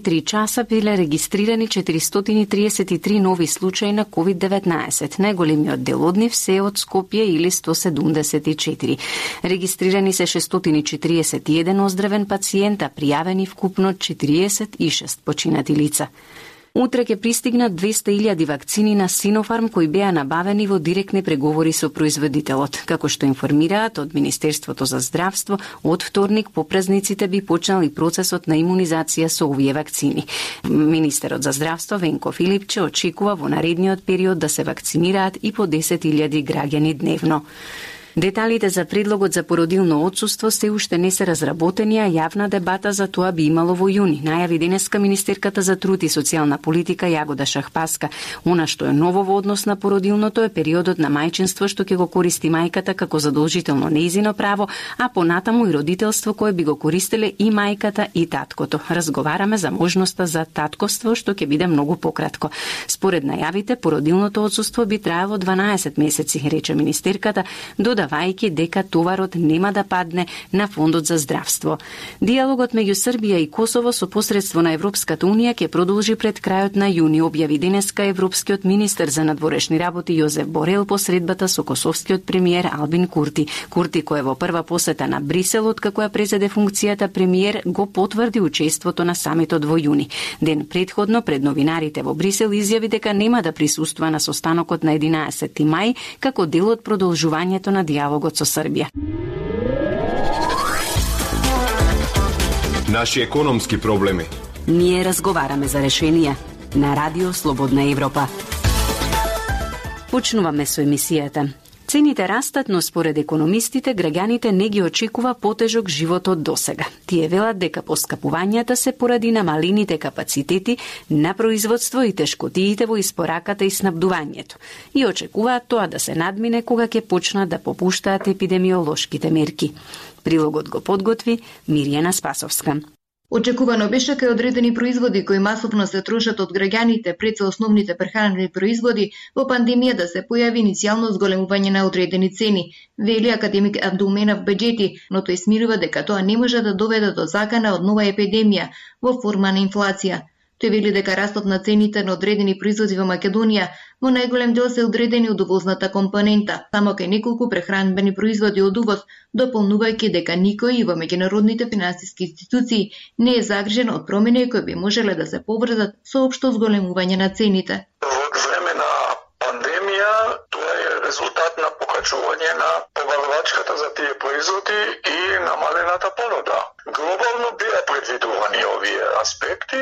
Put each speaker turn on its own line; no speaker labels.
3 часа биле регистрирани 433 нови случаи на COVID-19. Најголемиот дел од нив се од Скопје или 174. Регистрирани се 641 оздравен пациента, пријавени вкупно 46 починати лица. Утре ќе пристигнат 200.000 вакцини на Синофарм кои беа набавени во директни преговори со производителот. Како што информираат од Министерството за здравство, од вторник по празниците би почнал и процесот на имунизација со овие вакцини. Министерот за здравство Венко Филипче очекува во наредниот период да се вакцинираат и по 10.000 граѓани дневно. Деталите за предлогот за породилно отсуство се уште не се разработени, а јавна дебата за тоа би имало во јуни. Најави денеска министерката за труд и социјална политика Јагода Шахпаска. Она што е ново во однос на породилното е периодот на мајчинство што ќе го користи мајката како задолжително нејзино право, а понатаму и родителство кое би го користеле и мајката и таткото. Разговараме за можноста за татковство што ќе биде многу пократко. Според најавите, породилното отсуство би траело 12 месеци, рече министерката, додавајќи дека товарот нема да падне на Фондот за здравство. Диалогот меѓу Србија и Косово со посредство на Европската унија ќе продолжи пред крајот на јуни, објави денеска европскиот министер за надворешни работи Јозеф Борел по средбата со косовскиот премиер Албин Курти. Курти, кој е во прва посета на Брисел откако ја презеде функцијата премиер, го потврди учеството на самитот во јуни. Ден претходно пред новинарите во Брисел изјави дека нема да присуствува на состанокот на 11 мај како дел од продолжувањето на диалогот со Србија.
Наши економски проблеми.
Ние разговараме за решенија на Радио Слободна Европа. Почнуваме со емисијата. Цените растат, но според економистите, граѓаните не ги очекува потежок живот од досега. Тие велат дека поскапувањата се поради намалените капацитети на производство и тешкотиите во испораката и снабдувањето. И очекуваат тоа да се надмине кога ќе почнат да попуштаат епидемиолошките мерки. Прилогот го подготви Мирјана Спасовска.
Очекувано беше кај одредени производи кои масовно се трошат од граѓаните пред се основните прехранени производи во пандемија да се појави иницијално зголемување на одредени цени, вели академик Абдулменав Беџети, но тој смирува дека тоа не може да доведе до закана од нова епидемија во форма на инфлација. Тој вели дека растот на цените на одредени производи во Македонија во најголем дел се одредени од увозната компонента, само кај неколку прехранбени производи од увоз, дополнувајќи дека никој и во меѓународните финансиски институции не е загрижен од промени кои би можеле да се поврзат со општо зголемување на цените.
Во време на пандемија тоа е резултат на покачување на побавачката за тие производи и намалената понуда. Глобално беа предвидувани овие аспекти,